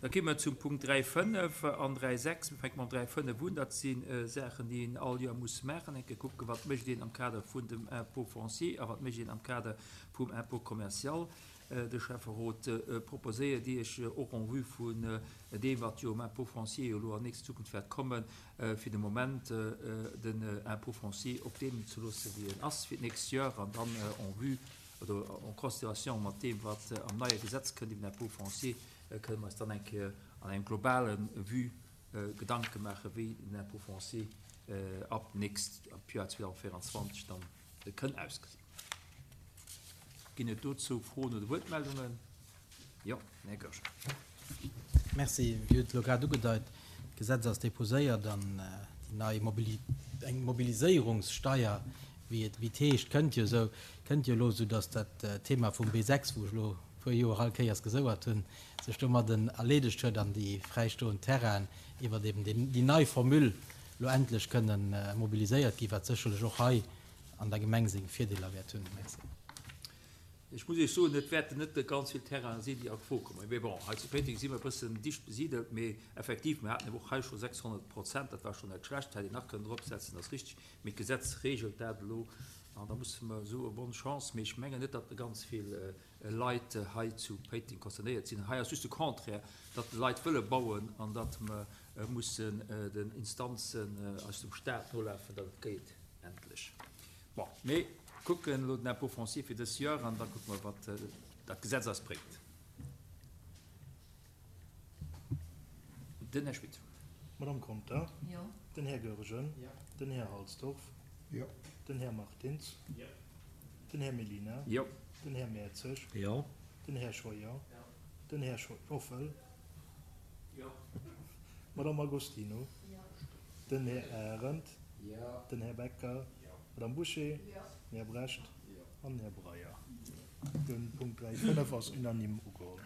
Da gi mer zum Punkt 3,5 an 3,6. Mir fänke mam 3,5 un. Dat si Saachen, déi een all Joer muss maachen. Eng Kéier kucken, wat mécht een am Kader vun dem Impôt foncier a wat mécht een am Kader vum Impôt commercial. De Schäfferot proposéiert Iech, och en vue vun deem, wat jo um Impôt foncier jo elo an nächster Zukunft wäert kommen, fir de Moment den Impôt foncier op deem ze loosse wéi en ass fir d'nächst Joer an dann en vue oder en considération mat deem, wat am neie Gesetz kënnt iwwer den Impôt foncier, kënne mer eis dann eng Kéier an engem globale Vue Gedanke maachen, wéi den Impôt foncier ab nächst, ab Joer 2024 dann kënn ausgesinn. Ginn et dozou Froen oder Wuertmeldungen? Jo, den Här Goergen. Merci. Dir hutt et elo grad ugedeit, d'Gesetz ass déposéiert an déi nei Mobili-, eng Mobiliséierungssteier, wéi et, wéi et heescht, kënnt jo esou, kënnt jo elo, soudatt dat Thema vum B6, wou ech elo e puer Joer all Kéiers gesouert hunn, sech domadden erleedegt huet an déi fräistoend Terrainen iwwert eben déi nei Formule elo endlech kënnen mobiliséiert ginn, wat sécherlech och hei an der Gemeng seng Virdeeler wäert hunn. Merci. Ech muss Iech soen, et wäerten net ganz vill Terrainen sinn, déi a Fro kommen. Mee bon, hei zu Péiteng si mer e bëssen dicht besidelt. Mee effektiv, mir haten eben och hei scho 600 Prozent, dat war schonn net schlecht, hätt een nach kënnen dropsetzen, ass richtig. Mee d'Gesetz regelt dat elo an da musse mer soe bonne chance. Mee ech mengen net, datt ganz vill Leit hei zu Péiteng concernéiert sinn. Hei ass just de Contraire, datt d'Leit wëlle bauen an datt mer mussen den Instanzen aus dem Stat nolafen, datt et geet endlech. Bon, mir kucken elo den Impôt foncier fir dës Joer an da kucke mer, wat dat Gesetz eis bréngt. Den Här Schmit. D'Madame Conter. Jo. Den Här Goergen. Jo. Den Här Halsdorf. Jo. Den Här Martins. Jo. Den Här Mellina. Jo. Den Här Mertzig. Jo. Den Här Scheuer. Jo. Den Här Schauffel. Jo. D'Madame Agostino. Jo. Den Här Arendt. Den Här Becker. D'Madame Bouché. Den Här Brecht an den Här Breyer. De Punkt 3, 5 ass unanime ugeholl.